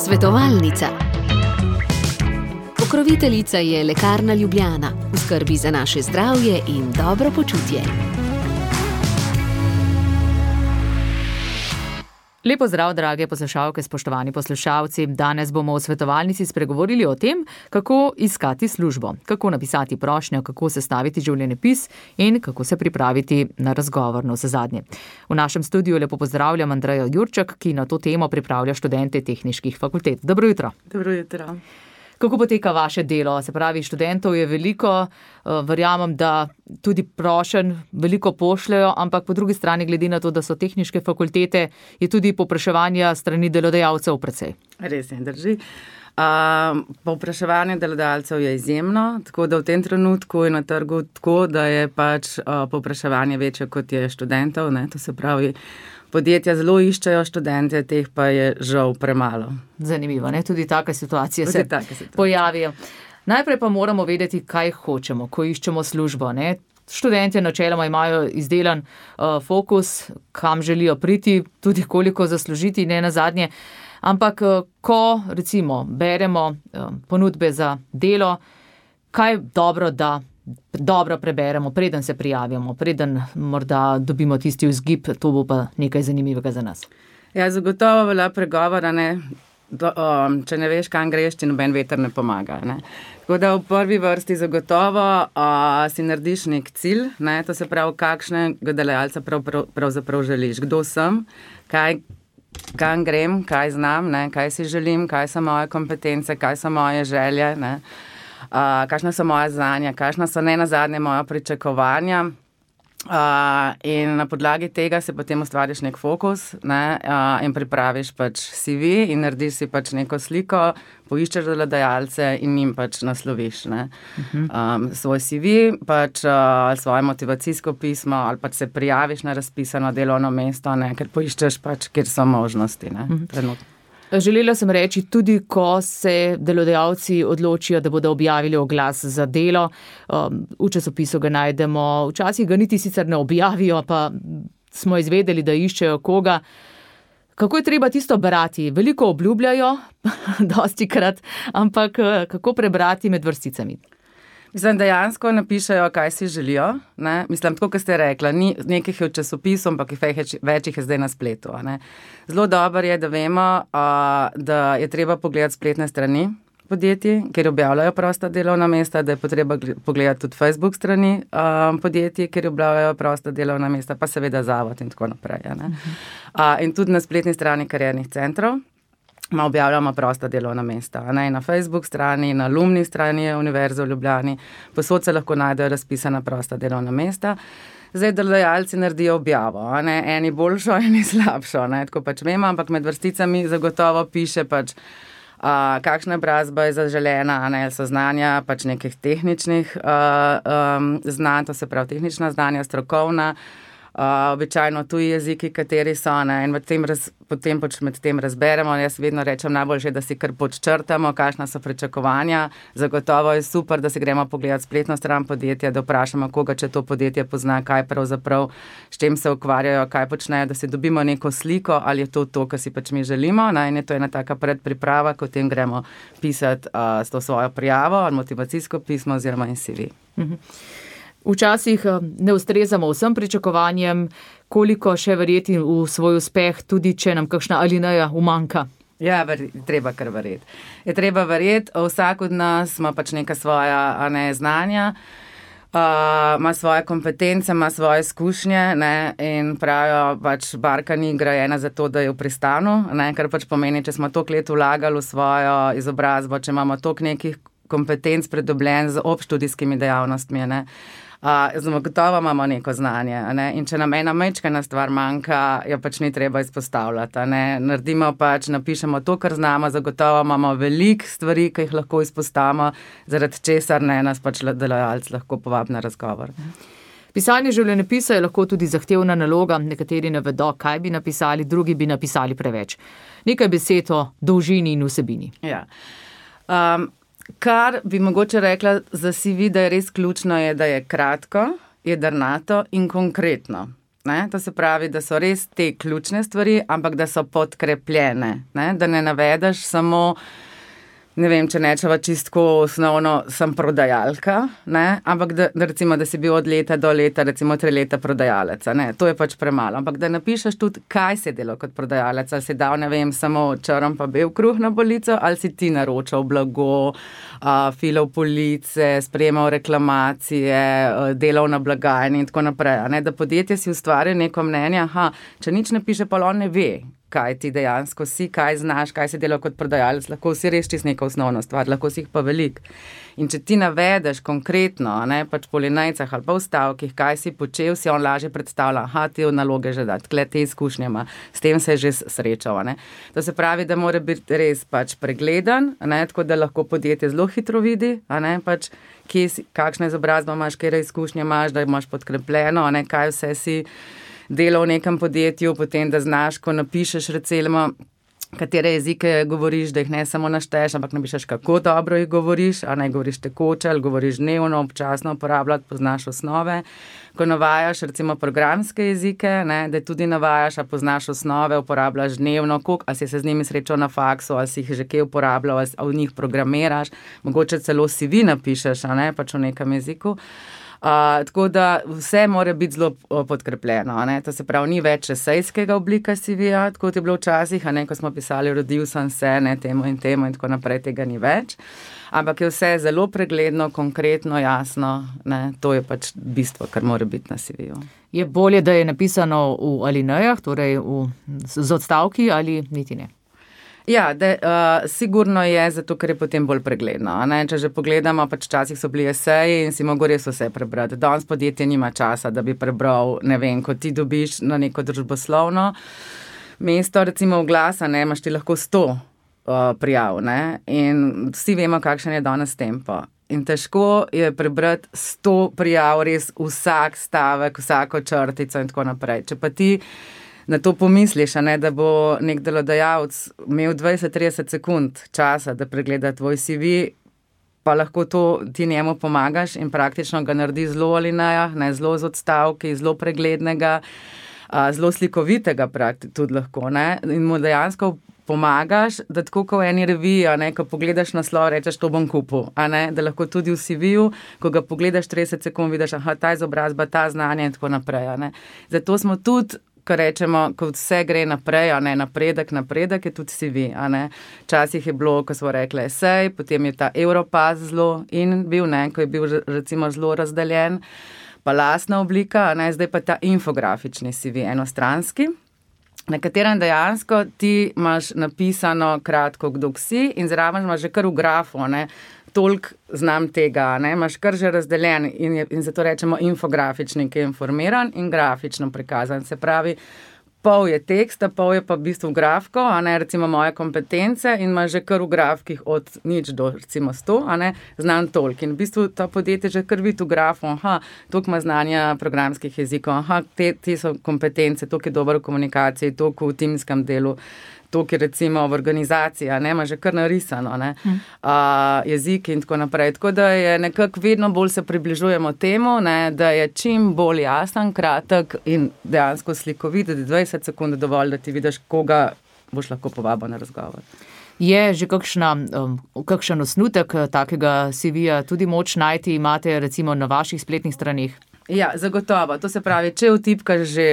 Svetovalnica. Pokroviteljica je Lekarna Ljubljana, v skrbi za naše zdravje in dobro počutje. Lepo zdrav, drage poslušalke, spoštovani poslušalci. Danes bomo v svetovalnici spregovorili o tem, kako iskati službo, kako napisati prošnjo, kako sestaviti življenjepis in kako se pripraviti na razgovor navsezadnje. V našem studiu lepo pozdravljam Andrejo Jurček, ki na to temo pripravlja študente tehniških fakultet. Dobro jutro. Dobro jutro. Kako poteka vaše delo? Se pravi, študentov je veliko, verjamem, da tudi prošenj veliko pošljajo, ampak po drugi strani, glede na to, da so tehniške fakultete, je tudi povpraševanja strani delodajalcev precej. Res je, drži. Povpraševanje delodajalcev je izjemno, tako da v tem trenutku je na trgu tako, da je povpraševanje večje, kot je študentov, ne? To se pravi, podjetja zelo iščejo študente, teh pa je žal premalo. Zanimivo, ne? Tudi take situacije se pojavijo. Najprej pa moramo vedeti, kaj hočemo, ko iščemo službo, ne? Študentje načeloma imajo izdelan fokus, kam želijo priti, tudi koliko zaslužiti, ne nazadnje. Ampak ko recimo beremo ponudbe za delo, kaj je dobro, da dobro preberemo, preden se prijavimo, preden morda dobimo tisti vzgib, to bo pa nekaj zanimivega za nas. Ja, zagotovo velja pregovora, ne? Če ne veš, kam greš, ti noben veter ne pomaga. Ne? Tako da v prvi vrsti zagotovo si narediš nek cilj, ne? To se pravi, kakšnega delodajalca pravzaprav želiš, kdo sem, kam grem, kaj znam, ne? Kaj si želim, kaj so moje kompetence, kaj so moje želje, ne? Kakšna so moja znanja, kakšna so ne nazadnje moja pričakovanja, in na podlagi tega se potem ustvariš nek fokus, ne, in pripraviš pač CV in narediš si pač neko sliko, poiščeš delodajalce in njim pač nasloviš, ne, svoj CV, pač svoje motivacijsko pismo ali pač se prijaviš na razpisano delovno mesto, ne, ker poiščeš pač, kjer so možnosti, ne, trenutno. Želela sem reči, tudi ko se delodajalci odločijo, da bodo objavili oglas za delo, v časopisu ga najdemo, včasih ga niti sicer ne objavijo, pa smo izvedeli, da iščejo koga. Kako je treba tisto brati? Veliko obljubljajo, dostikrat, ampak kako prebrati med vrsticami? Mislim, dejansko napišejo, kaj si želijo, ne? Mislim, tako, kot ste rekla, ni nekih v časopisu, ampak več jih je zdaj na spletu, ne? Zelo dobro je, da vemo, da je treba pogledati spletne strani podjetij, kjer objavljajo prosta delovna mesta, da je potreba pogledati tudi Facebook strani podjetij, kjer objavljajo prosta delovna mesta, pa seveda zavod in tako naprej, ne? In tudi na spletni strani kariernih centrov objavljamo prosta delovna mesta, ne, na Facebook strani, na alumni strani Univerze v Ljubljani, posod se lahko najdejo razpisana prosta delovna mesta. Zdaj delodajalci naredijo objavo, ne, eni boljšo, eni slabšo, ne, tako pač vemo, ampak med vrsticami zagotovo piše pač, kakšna izobrazba je zaželena, ne, so znanja pač nekih tehničnih znanj, to se pravi tehnična znanja, strokovna, običajno tuji jeziki, kateri so, ne, in potem pač med tem razberemo. Jaz vedno rečem, najboljše, da si kar podčrtamo, kakšna so pričakovanja. Zagotovo je super, da si gremo pogledati spletno stran podjetja, da vprašamo koga, če to podjetje pozna, kaj pravzaprav, s čim se ukvarjajo, kaj počnejo, da si dobimo neko sliko, ali je to, kar si pač mi želimo, ne, in je to ena taka predpriprava, ko potem gremo pisati s to svojo prijavo, motivacijsko pismo oziroma in CV. Včasih ne ustrezamo vsem pričakovanjem, koliko še verjeti v svoj uspeh, tudi če nam kakšna alineja umanjka. Ja, treba kar verjeti. Je treba verjeti, vsak od nas ima pač neka svoja znanja, ima svoje kompetence, ima svoje izkušnje, ne, in pravijo, pač barka ni grajena za to, da je v pristanu, ne, kar pač pomeni, če smo toliko let vlagali v svojo izobrazbo, če imamo toliko nekih kompetenc pridobljen z obštudijskimi dejavnostmi, ne, zagotovo imamo neko znanje, ne? In če nam ena majčkena stvar manjka, jo pač ni treba izpostavljati, ne? Naredimo pač, napišemo to, kar znamo, zagotovo imamo veliko stvari, ki jih lahko izpostavimo, zaradi česar ne nas pač delodajalec lahko povabi na razgovor. Pisanje življenjepisa je lahko tudi zahtevna naloga, nekateri ne vedo, kaj bi napisali, drugi bi napisali preveč. Nekaj besed o dolžini in vsebini. Ja. Kar bi mogoče rekla za CV, da je res ključno, je, da je kratko, jedrnato in konkretno. Ne? To se pravi, da so res te ključne stvari, ampak da so podkrepljene, ne? Da ne navedeš samo, ne vem, če nečeva čistko osnovno, sem prodajalka, ne? Ampak da recimo, da si bil od leta do leta, recimo 3 leta prodajalec, ne? To je pač premalo, ampak da napišeš tudi, kaj si delal kot prodajalec, ali si dal, ne vem, samo črn pa bel kruh na polico, ali si ti naročal blago, filal police, sprejemal reklamacije, delal na blagajni in tako naprej, ne? Da podjetje si ustvari neko mnenje, če nič ne piše, pa on ne ve, kaj ti dejansko si, kaj znaš, kaj si delal kot prodajalec, lahko si res čisto neka osnovna stvar, lahko si jih pa veliko. In če ti navedeš konkretno, ne, pač po linijcah ali pa v stavkih, kaj si počel, si on lažje predstavlja, te naloge že da, tkle te izkušnje ima, s tem se je že srečal, ne. To se pravi, da mora biti res pač pregleden, ne, tako da lahko podjetje zelo hitro vidi, ne, pač kakšna izobrazba imaš, kje izkušnje imaš, da imaš podkrepljeno, ne, kaj vse si delal v nekem podjetju, potem da znaš, ko napišeš recimo, katere jezike govoriš, da jih ne samo našteješ, ampak napišeš, kako dobro jih govoriš, a ne govoriš tekoče, ali govoriš dnevno, občasno uporabljati, poznaš osnove. Ko navajaš recimo programske jezike, ne, da tudi navajaš, a poznaš osnove, uporabljaš dnevno, ali si se z njimi srečal na faksu, ali si jih že kje uporabljal, ali v njih programiraš, mogoče celo CV napišeš, a ne, pač v nekem jeziku. Tako da vse mora biti zelo podkrepljeno, ne? To se pravi, ni več esejskega oblika CV-ja, tako je bilo včasih, a ne, ko smo pisali, rodil sem se, ne, temu in tako naprej, tega ni več, ampak je vse zelo pregledno, konkretno, jasno, ne? To je pač bistvo, kar mora biti na CV-ju. Je bolje, da je napisano v alinejah, torej z odstavki ali niti ne? Ja, sigurno je, zato ker je potem bolj pregledno. Ne? Če že pogledamo, pač včasih so bili eseji in si mogo res vse prebrati. Danes podjetje nima časa, da bi prebral, ne vem, ko ti dobiš na neko družboslovno mesto, recimo v glas, ne, imaš ti lahko 100 prijav, ne? In vsi vemo, kakšen je danes tempo. In težko je prebrati 100 prijav, res vsak stavek, vsako črtico in tako naprej. Če pa ti na to pomisliš, ne, da bo nek delodajalec imel 20-30 sekund časa, da pregleda tvoj CV, pa lahko to ti njemu pomagaš in praktično ga naredi zelo alinejah, ne, zelo z odstavki, zelo preglednega, zelo slikovitega tudi lahko, ne, in mu dejansko pomagaš, da tako kot v eni reviji, ne, ko pogledaš naslov, rečeš, to bom kupil, a ne, da lahko tudi v CV-ju, ko ga pogledaš 30 sekund, vidiš, ta izobrazba, ta znanje in tako naprej, a ne. Zato smo tudi, ko rečemo, ko vse gre naprej, a ne, napredek je tudi CV, a ne. Včasih je bilo, ko smo rekli esej, potem je ta Europass zelo in bil, ne, ko je bil recimo zelo razdeljen, pa lastna oblika, a ne, zdaj pa ta infografični CV, enostranski, na katerem dejansko ti imaš napisano kratko, kdo si in zraven imaš že kar v grafu, ne, toliko znam tega, ne, imaš kar že razdeljen in zato rečemo infografični, ki je informiran in grafično prikazan. Se pravi, pol je teksta, pol je pa v bistvu grafko, a ne, recimo moje kompetence in imaš že kar v grafkih od 0 do recimo 100, a ne, znam toliko. In v bistvu to podjetje že kar vidi v grafu, toliko ima znanja programskih jezikov, te so kompetence, toliko je dobro v komunikaciji, toliko v timskem delu, toliko je recimo v organizaciji, ne, ima že kar narisano, ne, jeziki in tako naprej. Tako da je nekako vedno bolj se približujemo temu, ne, da je čim bolj jasen, kratek in dejansko slikovit, da je 20 sekund dovolj, da ti vidiš, koga boš lahko povabil na razgovor. Je že kakšen osnutek takega CV-ja tudi moč najti, imate recimo na vaših spletnih straneh? Ja, zagotovo. To se pravi, če vtipkaš že,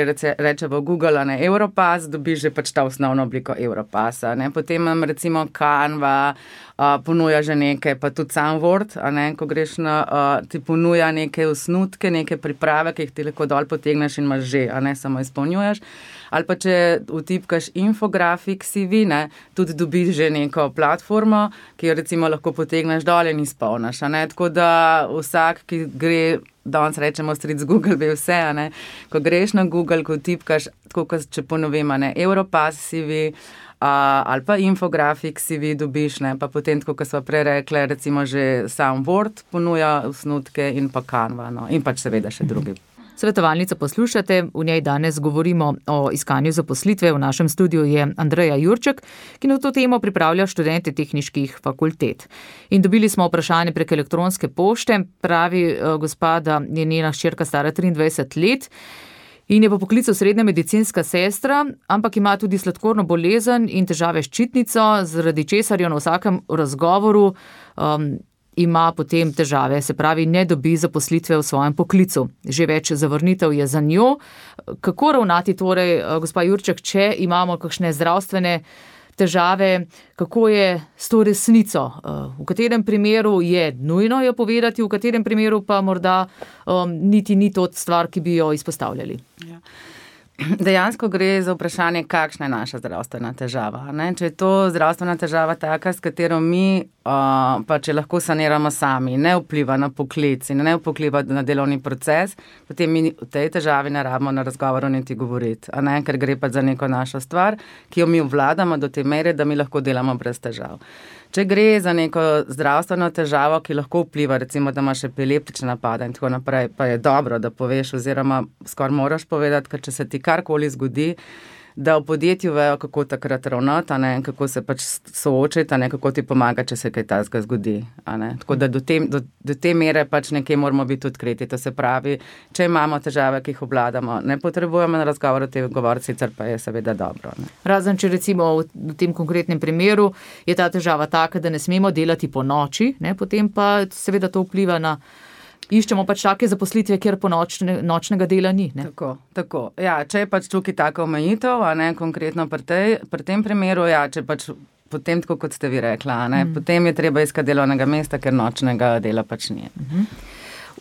rečemo Google, ne, Europass, dobiš že pač ta osnovno obliko Europassa, ne. Potem imam recimo Canva, ponuja že nekaj, pa tudi sam Word, a ne, ko greš ti ponuja neke osnutke, neke priprave, ki jih ti lahko dol potegneš in imaš že, a ne, samo izpolnjuješ. Ali pa če vtipkaš infografik CV, ne, tudi dobiš že neko platformo, ki jo recimo lahko potegneš dol in izpolniš, a ne. Tako da vsak, ki gre, danes rečemo stric Google, ve vse, a ne. Ko greš na Google, ko vtipkaš, tako kot če ponovim, a ne, Europass CV, ali pa infografik CV dobiš, ne, pa potem, tako kot smo prej rekli, recimo že sam Word ponuja osnutke in pa Canva, no, in pač seveda še drugi. Svetovalnico poslušate, v njej danes govorimo o iskanju zaposlitve. V našem studiu je Andreja Jurček, ki na to temo pripravlja študente tehniških fakultet. In dobili smo vprašanje prek elektronske pošte, pravi gospa, da je njena hčerka stara 23 let In je po poklicu srednja medicinska sestra, ampak ima tudi sladkorno bolezen in težave s ščitnico, zaradi česar jo na vsakem razgovoru ima potem težave, se pravi, ne dobi zaposlitve v svojem poklicu. Že več zavrnitev je za njo. Kako ravnati torej, gospa Jurček, če imamo kakšne zdravstvene težave, kako je s to resnico? V katerem primeru je nujno jo povedati, v katerem primeru pa morda niti ni to stvar, ki bi jo izpostavljali? Ja. Dejansko gre za vprašanje, kakšna je naša zdravstvena težava. Ne? Če je to zdravstvena težava taka, s katero mi, pa če lahko saniramo sami, ne vpliva na poklic in ne vpliva na delovni proces, potem mi v tej težavi ne rabimo na razgovoru niti govoriti, ker gre pa za neko našo stvar, ki jo mi obvladamo do te mere, da mi lahko delamo brez težav. Če gre za neko zdravstveno težavo, ki lahko vpliva, recimo, da imaš epileptične napade in tako naprej, pa je dobro, da poveš oziroma skoraj moraš povedati, ker če se ti karkoli zgodi, da v podjetju vejo, kako takrat ravnati, kako se pač soočiti, kako ti pomaga, če se kaj takega zgodi. Tako da do te mere pač nekje moramo biti odkriti. To se pravi, če imamo težave, ki jih obvladamo, ne potrebujemo na razgovor o tem govoriti, sicer pa je seveda dobro. Razen, če recimo v tem konkretnem primeru je ta težava taka, da ne smemo delati po noči, potem pa seveda to vpliva na iščemo pač take zaposlitve, kjer po nočnega dela ni. Ne? Tako. Ja, če je pač tukaj taka omejitev, konkretno pri tem primeru, ja, če pač potem, tako kot ste vi rekla, potem je treba iskati delovnega mesta, ker nočnega dela pač ni.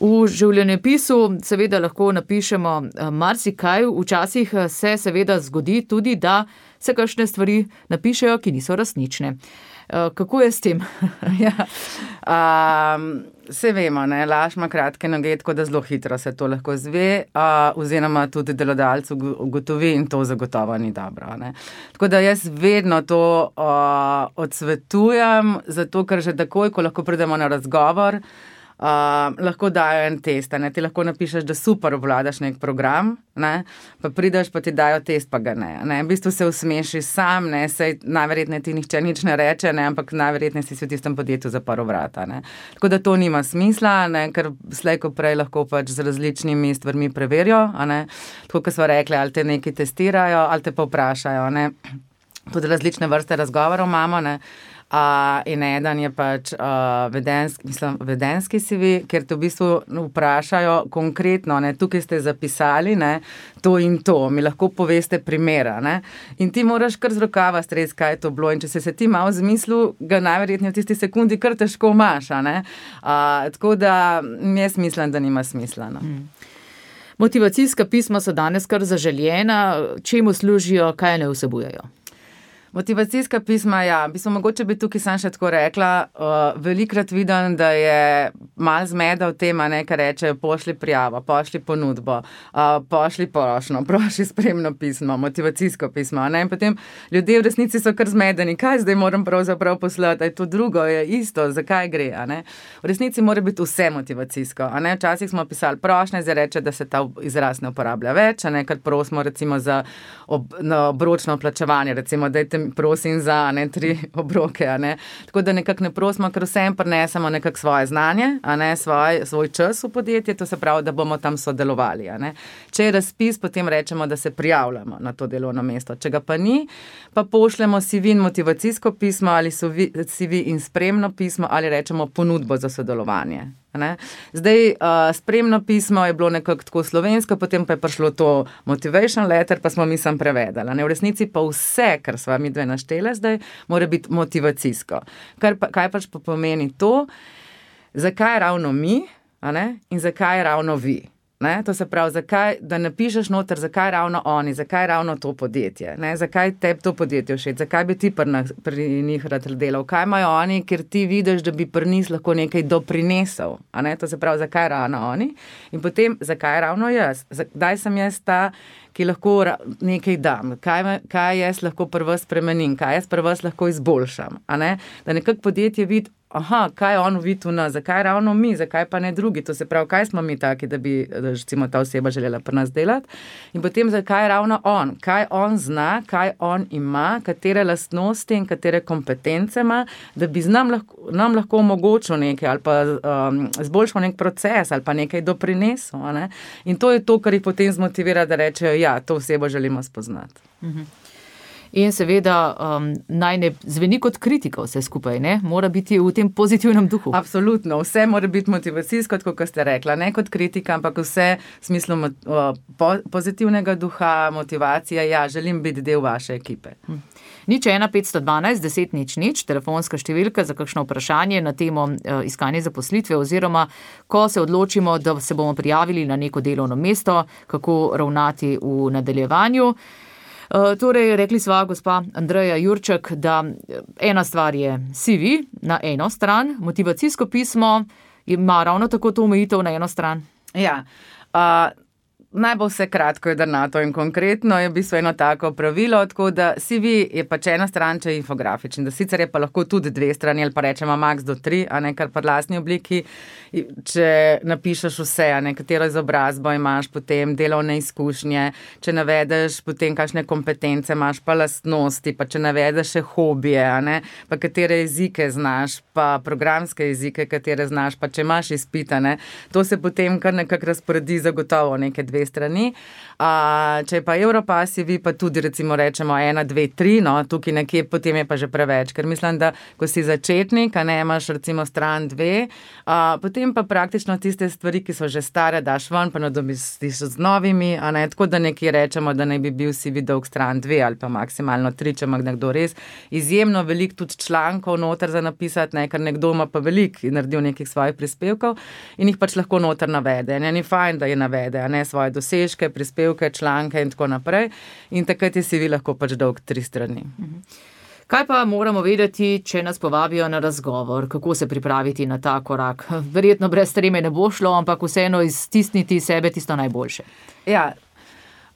V življenjepisu seveda lahko napišemo marsikaj, včasih se seveda zgodi tudi, da se kakšne stvari napišejo, ki niso resnične. Kako je s tem? Vse vemo, laž ima kratke noge, tako da zelo hitro se to lahko zve, oziroma tudi delodajalec ugotovi in to zagotovo ni dobro. Tako da jaz vedno to odsvetujem, zato ker že takoj, ko lahko pridemo na razgovor, lahko dajo en test. Ti lahko napišeš, da super obvladaš nek program, pa prideš, pa ti dajo test, pa ga ne. V bistvu se usmeši sam, sej najverjetneje ti nihče nič ne reče, ampak najverjetneje si v tistem podjetju zaprl vrata. Tako da to nima smisla, ker slej ko prej lahko pač z različnimi stvarmi preverijo. Tako, kot smo rekli, ali te nekaj testirajo, ali te pa vprašajo. Tudi različne vrste razgovorov imamo, in eden je pač vedenski CV, ker te v bistvu vprašajo konkretno, tukaj ste zapisali, to in to, mi lahko poveste primera, in ti moraš kar z rokava stresti, kaj je to bilo, in če se ti malo zmislil, ga najverjetneje v tisti sekundi kar težko imaš, tako da jaz mislim, da nima smisla. Motivacijska pisma so danes kar zaželjena, čemu služijo, kaj ne vsebujejo? Motivacijska pisma, ja, mogoče bi tukaj sam še tako rekla, velikrat vidim, da je malo zmeda v tem, kar reče, pošli prijavo, pošli ponudbo, pošli prošnjo, prošli spremno pismo, motivacijsko pismo, in potem ljudje v resnici so kar zmedeni, kaj zdaj moram pravzaprav poslati, je to drugo, je isto, zakaj gre, V resnici mora biti vse motivacijsko, Včasih smo pisali prošnje, zdaj reče, da se ta izraz ne uporablja več, ker prosimo recimo za obročno plačevanje, recimo, dajte prosim za 3 obroke, Tako da nekako ne prosimo, ker vsem prinesemo nekako svoje znanje, svoj čas v podjetje, to se pravi, da bomo tam sodelovali, Če je razpis, potem rečemo, da se prijavljamo na to delovno mesto. Če ga pa ni, pa pošljemo CV in motivacijsko pismo ali CV in spremno pismo ali rečemo ponudbo za sodelovanje. Zdaj, spremno pismo je bilo nekako tako slovensko, potem pa je prišlo to motivation letter, pa smo mi sem prevedali. V resnici pa vse, kar sva mi dve naštele zdaj, mora biti motivacijsko. Kaj pač pomeni to, zakaj ravno mi, in zakaj ravno vi. To se pravi, zakaj, da napišeš noter, zakaj ravno oni, zakaj ravno to podjetje, zakaj tebi to podjetje všeč, zakaj bi ti pri njih rad delal, kaj imajo oni, ker ti vidiš, da bi pri njih lahko nekaj doprinesel, To se pravi, zakaj ravno oni in potem, zakaj ravno jaz, kdaj sem jaz ta, ki lahko nekaj dam, kaj jaz lahko pri vas spremenim, kaj jaz pri vas lahko izboljšam, Da nekako podjetje vidi, kaj on vidi v nas, zakaj ravno mi, zakaj pa ne drugi, to se pravi, kaj smo mi taki, da bi recimo ta oseba želela pri nas delati in potem zakaj ravno on, kaj on zna, kaj on ima, katere lastnosti in katere kompetence ima, da bi nam lahko omogočil nekaj ali pa zboljšal nek proces ali pa nekaj doprinesel. Ne? In to je to, kar jih potem zmotivira, da rečejo, ja, to osebo želimo spoznati. In seveda naj ne zveni kot kritika vse skupaj, ne? Mora biti v tem pozitivnem duhu. Absolutno, vse mora biti motivacijsko, kot ste rekla, ne kot kritika, ampak vse v smislu pozitivnega duha, motivacija, ja, želim biti del vaše ekipe. 01512 10 00, telefonska številka za kakšno vprašanje na temo iskanje zaposlitve oziroma ko se odločimo, da se bomo prijavili na neko delovno mesto, kako ravnati v nadaljevanju. Torej, rekli sva gospa Andreja Jurček, da ena stvar je CV na eno stran, motivacijsko pismo ima ravno tako to omejitev na eno stran. Ja, naj bo vse kratko, jedrnato in konkretno je v bistvu eno tako pravilo, tako da CV je pač ena stran, če je infografičen, da sicer je pa lahko tudi dve strani ali pa rečemo max do 3, a ne kar pa lastni obliki, če napišeš vse, a ne katero izobrazbo imaš, potem delovne izkušnje, če navedeš potem kakšne kompetence imaš, pa lastnosti, pa če navedeš še hobije, a ne, pa katere jezike znaš, pa programske jezike, katere znaš, pa če imaš izpita, ne, to se potem kar nekako razporedi zagotovo neke dve strani. Če je pa Europass CV, pa tudi recimo rečemo 1, 2, 3, no, tukaj nekje potem je pa že preveč, ker mislim, da ko si začetnik, a ne imaš recimo stran 2, potem pa praktično tiste stvari, ki so že stare, daš ven, pa nadomestiš z novimi, a ne, tako da nekje rečemo, da naj bi bil CV dolg stran 2 ali pa maksimalno 3, če ima nekdo res izjemno veliko tudi člankov noter za napisati, ne, ker nekdo ima pa veliko in naredil nekih svojih prispevkov in jih pač lahko noter navede. Ne, ni fajn, da je navede, a ne, svoje dosežke, prispevke, članke in tako naprej. In takrat je CV lahko pač dolg 3 strani. Kaj pa moramo vedeti, če nas povabijo na razgovor? Kako se pripraviti na ta korak? Verjetno brez treme ne bo šlo, ampak vseeno iztisniti sebe tisto najboljše. Ja,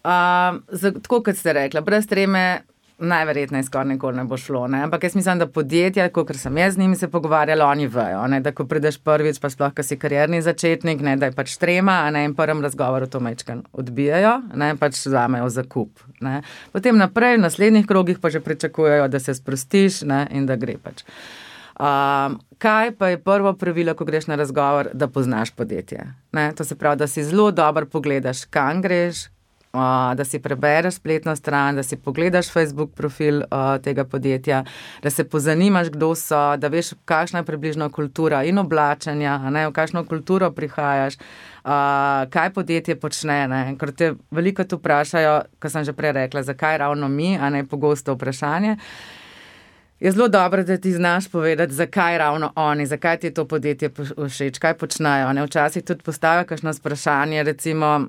tako kot ste rekla, brez treme najverjetneje skoraj nikoli ne bo šlo, ne? Ampak jaz mislim, da podjetja, ker sem jaz z njimi se pogovarjala, oni vejo, ne? Da ko prideš prvič, pa sploh, ko si karierni začetnik, ne? Da je pač trema, a ne, in prvem razgovoru to majčkeno odbijajo, ne? Pač vzamejo zakup, ne? Potem naprej, v naslednjih krogih pa že pričakujejo, da se sprostiš, ne? In da gre pač. Kaj pa je prvo pravilo, ko greš na razgovor, da poznaš podjetje, ne? To se pravi, da si zelo dobro pogledaš, kam greš, da si prebereš spletno stran, da si pogledaš Facebook profil tega podjetja, da se pozanimaš, kdo so, da veš, kakšna je približno kultura in oblačenja, a ne, v kakšno kulturo prihajaš, kaj podjetje počne, ne, ker te veliko tu vprašajo, ko sem že prej rekla, zakaj ravno mi, a ne, pogosto vprašanje. Je zelo dobro, da ti znaš povedati, zakaj ravno oni, zakaj ti je to podjetje všeč, kaj počnejo, ne, včasih tudi postavijo kakšno vprašanje, recimo,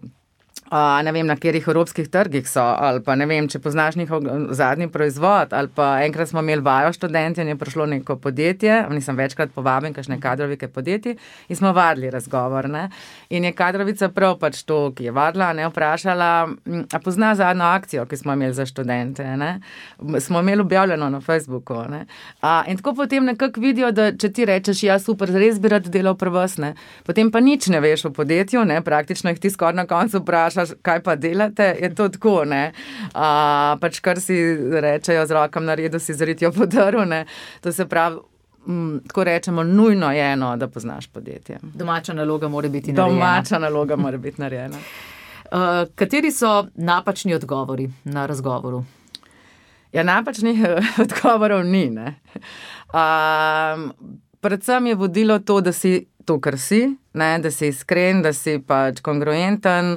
ne vem, na katerih evropskih trgih so, ali pa ne vem, če poznaš njihov zadnji proizvod, ali pa enkrat smo imeli vajo študenti in je prišlo neko podjetje, nisem večkrat povabim, kakšne kadrovike podjetij, in smo vadili razgovor, ne, in je kadrovica prav pač to, ki je vadila, ne, vprašala, a pozna zadnjo akcijo, ki smo imeli za študente, ne, smo imeli objavljeno na Facebooku, ne, in tako potem nekako vidijo, da če ti rečeš, ja, super, res bi rad delal pri vas, ne, potem pa nič ne veš o podjetju, ne, praktično jih ti skoraj na koncu vprašaš, kaj pa delate, je to tako, ne. Pač kar si rečejo z rokam na redu, si zritijo po drvu, ne. To se pravi, tako rečemo, nujno je eno, da poznaš podjetje. Domača naloga mora biti narejena. Domača naloga mora biti narejena. Kateri so napačni odgovori na razgovoru? Ja, napačnih odgovorov ni, ne. Predvsem je vodilo to, da si to, kar si, ne, da si iskren, da si pač kongruenten,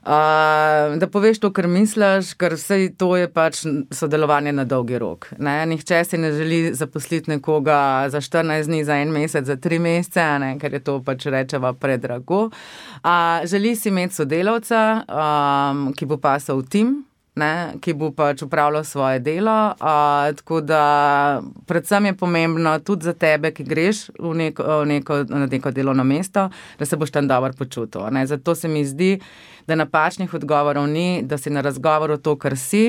da poveš to, kar misliš, ker vse to je pač sodelovanje na dolgi rok, ne. Nihče si ne želi zaposliti nekoga za 14 dni, za 1 mesec, za 3 mesece, ne, ker je to pač rečeva predrago. Želi si imeti sodelavca, ki bo pasal v tim, ne, ki bo pač upravljal svoje delo, tako da predvsem je pomembno tudi za tebe, ki greš na neko delovno mesto, da se boš tam dobro počutil, ne. Zato se mi zdi, da napačnih odgovorov ni, da si na razgovoru to, kar si,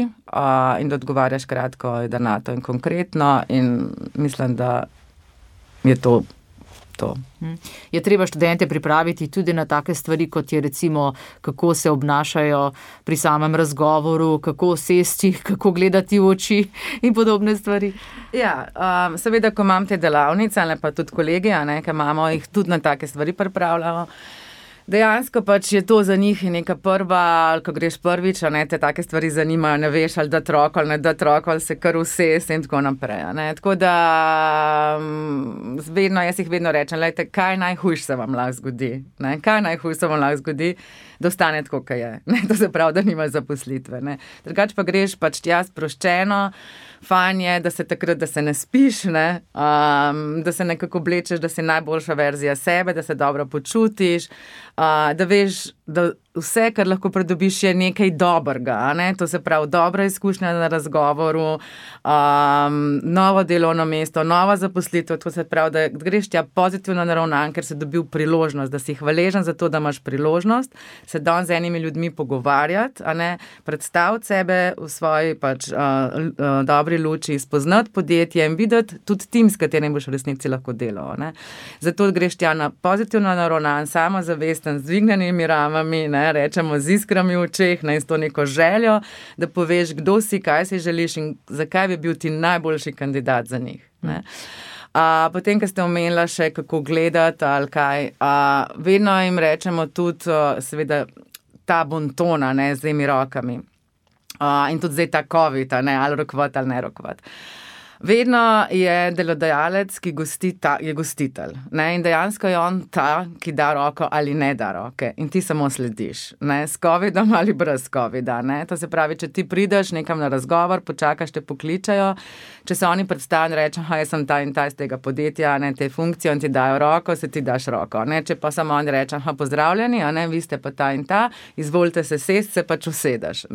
in da odgovarjaš kratko, jedrnato in konkretno, in mislim, da je to. Je treba študente pripraviti tudi na take stvari, kot je recimo, kako se obnašajo pri samem razgovoru, kako sesti, kako gledati v oči in podobne stvari? Ja, seveda, ko imam te delavnice, ali pa tudi kolegi, ki imamo, jih tudi na take stvari pripravljamo. Dejansko pač je to za njih neka prva, ko greš prvič, te take stvari zanimajo, ne veš, ali da troko, ali ne da troko, ali se kar vse in tako naprej. Tako da jaz jih vedno rečem, lejte, kaj najhujše se vam lahko zgodi? Kaj najhujše se vam lahko zgodi? Da ostane tako, kaj je. To se pravi, da nimaš zaposlitve. Drugače pa greš pač tja sproščeno, fajn je, da se takrat, da se ne spiš, da se nekako oblečeš, da si najboljša verzija sebe, da se dobro počutiš, da veš, da vse, kar lahko pridobiš, je nekaj dobrega. To se pravi, dobra izkušnja na razgovoru, novo delovno mesto, nova zaposlitev, to se pravi, da greš tja pozitivno naravnan, ker si dobil priložnost, da si hvaležen za to, da imaš priložnost, se danes z enimi ljudmi pogovarjati, predstaviti sebe v svoji dobri luči, spoznati podjetje in videti tudi tim, s katerim boš v resnici lahko delal. Zato greš tja na pozitivno naravnan, samozavesten, z dvignjenimi ramami, rečemo z iskrami v očeh, in s to neko željo, da poveš, kdo si, kaj si želiš in zakaj bi bil ti najboljši kandidat za njih. Potem, ko ste omenila še, kako gledati ali kaj, vedno jim rečemo tudi, seveda, ta bontona, z temi rokami. In tudi zdaj ta COVID, ali rokovat ali ne rokovat. Vedno je delodajalec, ki je gostitelj. In dejansko je on ta, ki da roko ali ne da roke. In ti samo slediš. S covidom ali brez covida. To se pravi, če ti prideš nekam na razgovor, počakaš, te pokličajo. Če se oni predstavijo in rečejo, jaz sem ta in ta iz tega podjetja, te funkcije, in ti dajo roko, se ti daš roko. Če pa samo oni rečejo, pozdravljeni, vi ste pa ta in ta, izvolite se sest, se pač usedeš.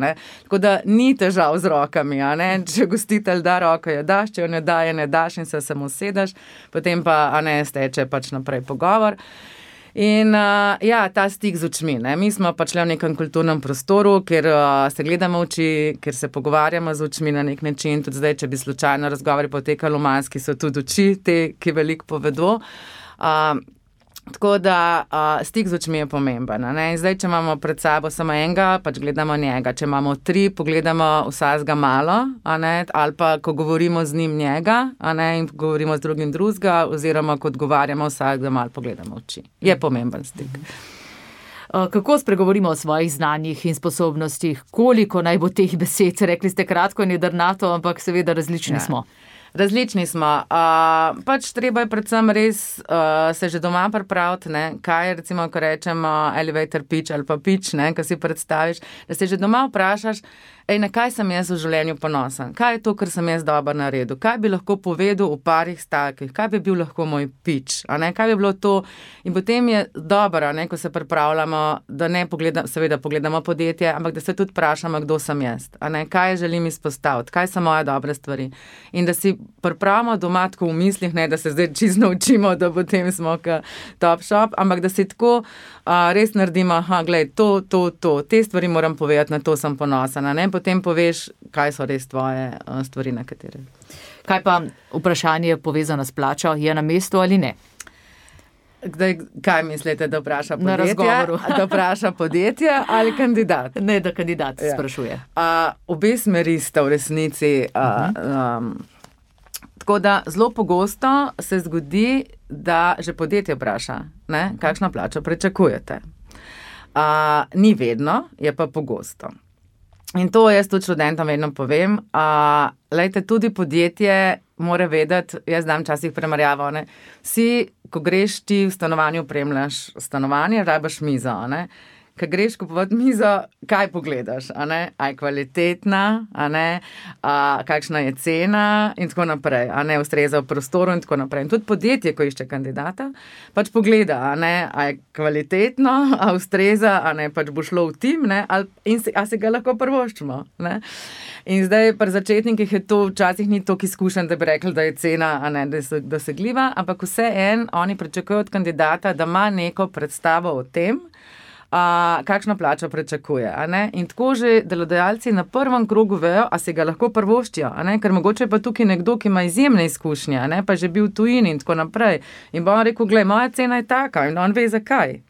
Tako da ni težav z rokami. Če gostitelj da roko, jo daš, če jo ne daš in se samo sedaš, potem pa steče pač naprej pogovor. In ta stik z očmi. Mi smo pač le v nekem kulturnem prostoru, kjer se gledamo oči, kjer se pogovarjamo z očmi na nek način. Tudi zdaj, če bi slučajno razgovori potekali v maski, so tudi oči te, ki veliko povedo. Tako da stik z očmi je pomemben. In zdaj, če imamo pred sabo samo enega, pač gledamo njega. Če imamo 3, pogledamo vsakega malo, ali pa, ko govorimo z njim njega, in govorimo z drugim drugega, oziroma, ko odgovarjamo vsakega malo, pogledamo oči. Je pomemben stik. Kako spregovorimo o svojih znanjih in sposobnostih? Koliko naj bo teh besed? Rekli ste kratko in jedrnato, ampak seveda različni smo. Različni smo. Pač treba je predvsem res se že doma pripraviti, kaj je recimo, ko rečemo elevator pitch ali pa pitch, ko si predstaviš, da se že doma vprašaš, na kaj sem jaz v življenju ponosen, kaj je to, kar sem jaz dobro naredil, kaj bi lahko povedal v parih stavkih, kaj bi bil lahko moj pitch, kaj bi bilo to. In potem je dobro, ko se pripravljamo, da ne seveda pogledamo podjetje, ampak da se tudi vprašamo, kdo sem jaz, kaj želim izpostaviti, kaj so moje dobre stvari. In da si pripravimo doma tako v mislih, da se zdaj čisto naučimo, da potem smo top shop, ampak da si tako res naredimo, glej, to, te stvari moram povedati, na to sem ponosen, potem poveš, kaj so res tvoje stvari, na katere. Kaj pa vprašanje povezano s plačo, je na mestu ali ne? Kaj mislite, da vpraša podjetje? Na razgovoru. Da vpraša podjetje ali kandidat? Ne, da kandidat sprašuje. Obe smeri sta v resnici. Tako da zelo pogosto se zgodi, da že podjetje vpraša, kakšno plačo pričakujete. Ni vedno, je pa pogosto. In to jaz tudi študentom vedno povem. Lejte, tudi podjetje mora vedeti, jaz dam včasih primerjavo, vsi, ko greš ti v stanovanju, opremljaš stanovanje, rabiš mizo, Ko greš kupovati mizo, kaj pogledaš, a je kvalitetna, kakšna je cena in tako naprej, ustreza v prostoru in tako naprej. In tudi podjetje, ko išče kandidata, pač pogleda, a je kvalitetno, a ustreza, pač bo šlo v tim, a si ga lahko prvoščimo. In zdaj pri začetnikih je to včasih ni toliko izkušen, da bi rekli, da je cena dosegljiva, ampak vseeno oni pričakujejo od kandidata, da ima neko predstavo o tem, kakšno plačo pričakuje. In tako že delodajalci na prvem krogu vejo, a se ga lahko prvoščijo, ker mogoče pa tukaj nekdo, ki ima izjemne izkušnje, pa že bil v tujini in tako naprej. In bo on rekel, glej, moja cena je taka in on ve zakaj.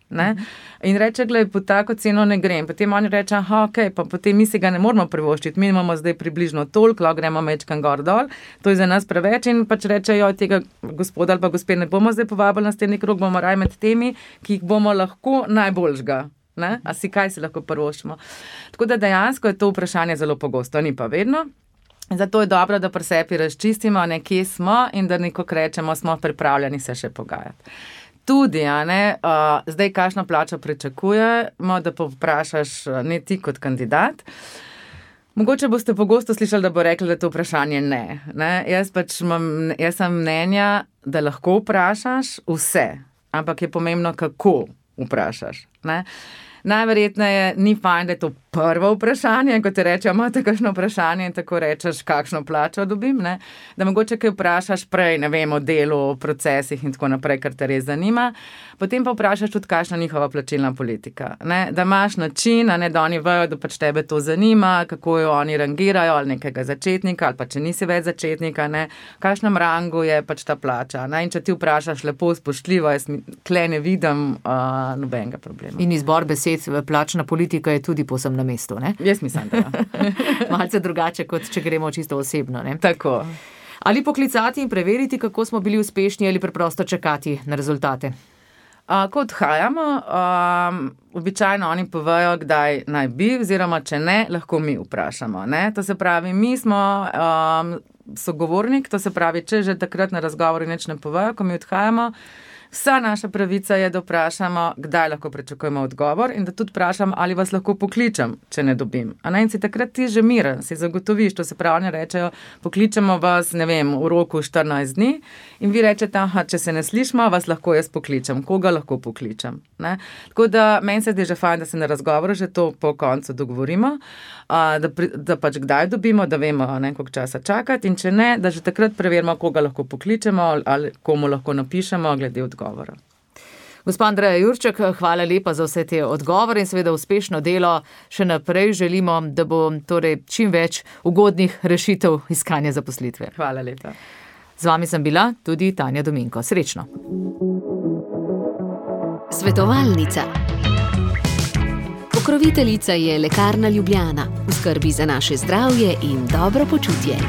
In reče, glej, po tako ceno ne grem. Potem oni reče, ok, pa potem mi si ga ne moramo privoščiti, mi imamo zdaj približno toliko, lahko gremo mečkan gor dol, to je za nas preveč in pač reče, jo, tega gospoda ali pa gospe ne bomo zdaj povabili na naslednji krog, bomo raj med temi, ki jih bomo lahko najboljšega. A si kaj si lahko privoščimo. Tako da dejansko je to vprašanje zelo pogosto, ni pa vedno. Zato je dobro, da pri sebi razčistimo, kje smo in da nekako rečemo, smo pripravljeni se še pogajati. Tudi, zdaj kakšno plačo pričakujemo, da povprašaš ne ti kot kandidat. Mogoče boste pogosto slišali, da bo rekli, da je to vprašanje ne. Jaz sem mnenja, da lahko vprašaš vse, ampak je pomembno, kako vprašaš. Najverjetneje ni fajn, da je to prvo vprašanje, ko ti rečejo, imate kakšno vprašanje in tako rečeš, kakšno plačo dobim, da mogoče kaj vprašaš prej, ne vem, o delu, o procesih in tako naprej, kar te res zanima, potem pa vprašaš tudi, kakšna njihova plačilna politika, da imaš način, da oni vejo, da pač tebe to zanima, kako jo oni rangirajo, ali nekega začetnika, ali pa če nisi več začetnika, v kakšnem rangu je pač ta plača, in če ti vprašaš lepo, spoštljivo, jaz tle ne vidim nobenega problema. In izbor besed, plačna politika je tudi povsem na mestu, ne? Jaz mislim, da ja. Malce drugače, kot če gremo čisto osebno, ne? Tako. Ali poklicati in preveriti, kako smo bili uspešni, ali preprosto čakati na rezultate? Ko odhajamo, običajno oni povejo, kdaj naj bi, oziroma če ne, lahko mi vprašamo. To se pravi, mi smo sogovornik, to se pravi, če že takrat na razgovoru nič ne povejo, ko mi odhajamo, vsa naša pravica je, da vprašamo, kdaj lahko pričakujemo odgovor in da tudi vprašam, ali vas lahko pokličem, če ne dobim. In si takrat ti že miren, si zagotoviš, to se pravi, oni rečejo, pokličemo vas, ne vem, v roku 14 dni in vi rečete, če se ne slišimo, vas lahko jaz pokličem, koga lahko pokličem. Tako da meni se zdi že fajn, da se na razgovoru že to po koncu dogovorimo, da pač kdaj dobimo, da vemo, koliko časa čakati in če ne, da že takrat preverimo, koga lahko pokličemo ali komu lahko napišemo glede odgovora. Gospa Andreja Jurček, hvala lepa za vse te odgovore in seveda uspešno delo. Še naprej želimo, da bo torej čim več ugodnih rešitev iskanja zaposlitve. Hvala lepa. Z vami sem bila tudi Tanja Dominko. Srečno. Svetovalnica. Pokroviteljica je Lekarna Ljubljana. V skrbi za naše zdravje in dobro počutje.